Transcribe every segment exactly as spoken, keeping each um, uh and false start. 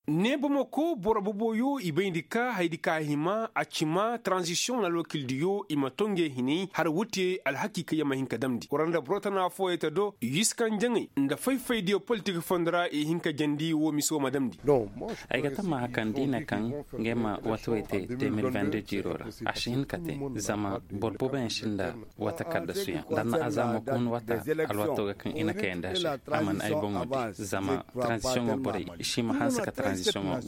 Ne bomoko boro boboyo i bayndi ka haydi ka hima a cima taranzisiyoŋ na alwakildiyo i ma to ngey hinay har wute alhakiikayaŋ ma hin ka damndi war nda boro tana fooyey ta do yiskanjaŋey nda fay-faydiyo politik fondo ra i hin ka jandi wo miso ma damndi. Ay ga tammaha kaŋ da i ne kaŋ ngey ma wata wey te deux mille vingt-deux jiiro ra, a si hin ka te. Zama boro booboyaŋ sinda wata kaddasuyaŋ da na a zaamo ka hun wata alwato ga kaŋ i na kayandi a se. A mana ay boŋo di zama taranzisiyoŋo borey i si ma hanse ka taranzisiyoŋo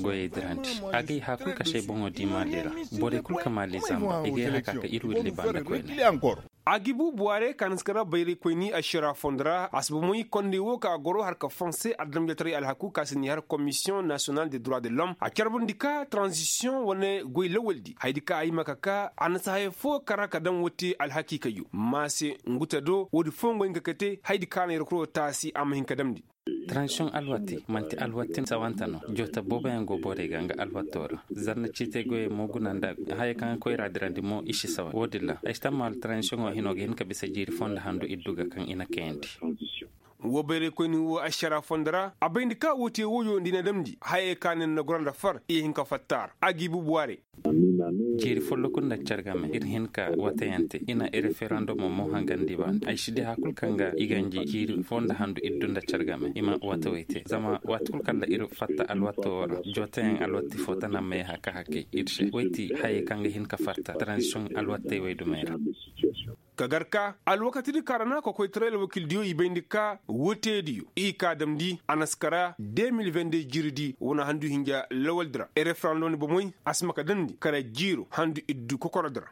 goyey dirandi. A ga i hã kul ka se ay boŋo di maali ra. Borey kul ka maali zamba i ga ay hã ka ka ir willi banda koyne. A ga i bu buwaarey ka na si kara bayraykoyni ašara fondo ra a si bomey kondey wo ka goro har ka fonse adamjataray alhaku ka si ni har komisiyoŋ nasiyonal de droit de l'homme a carbundi ka taranzisiyoŋ wane goy lawaldi hayadi ka a hima ka ka a na si haya fo kara ka daŋ wo te alhakiikayyo ma se. Ngu te do woodi fo ngu hin ka kate hayadi ka na yerkuro taasi a ma hin ka damndi. Taranzisiyoŋ alwati man'ti alwati sawanta no. Joota booboyaŋ go borey ga nga alwato ra. Zanna ciitey goyey mo guna nda haya kaŋ ga koyra dirandi mo i si sawa wo-din ra ay si tammaalu taranzisiyoŋo hino ga hin ka bisa jiiri fo nda handu iddu ga kaŋ i na kayandi. Wo bayraykoyni wo ašara fondo ra a bayndi ka wo te woyo nda i na damndi hayey ka ne na goro nda far i hin ka fatta ra a g'i bubu a re. Jeeri folloku nda cargame ir hin ka watayante i na referendomo mo hangandi ba ay si di hakul kaŋ ga i ganji jeeri fo nda handu iddu nda cargame i ma wataway te zama waati kul kalla ir fatta alwatto wo ra. Jootayaŋ alwatti fo tana may haka hakay ir se way ti hayey kaŋ ga hin ka fatta transition alwattey way dumey ra. Ka gar ka alwakatidi ka ra na kokoytaray alwakildiyo i bayndi ka woteediyo i ka damndi a na si kara deux mille vingt-deux jiiridi wane handu hinja lawaldi ra referendum ni bomey a si ma ka damndi kara jiiro handu iddu kokorodi ra.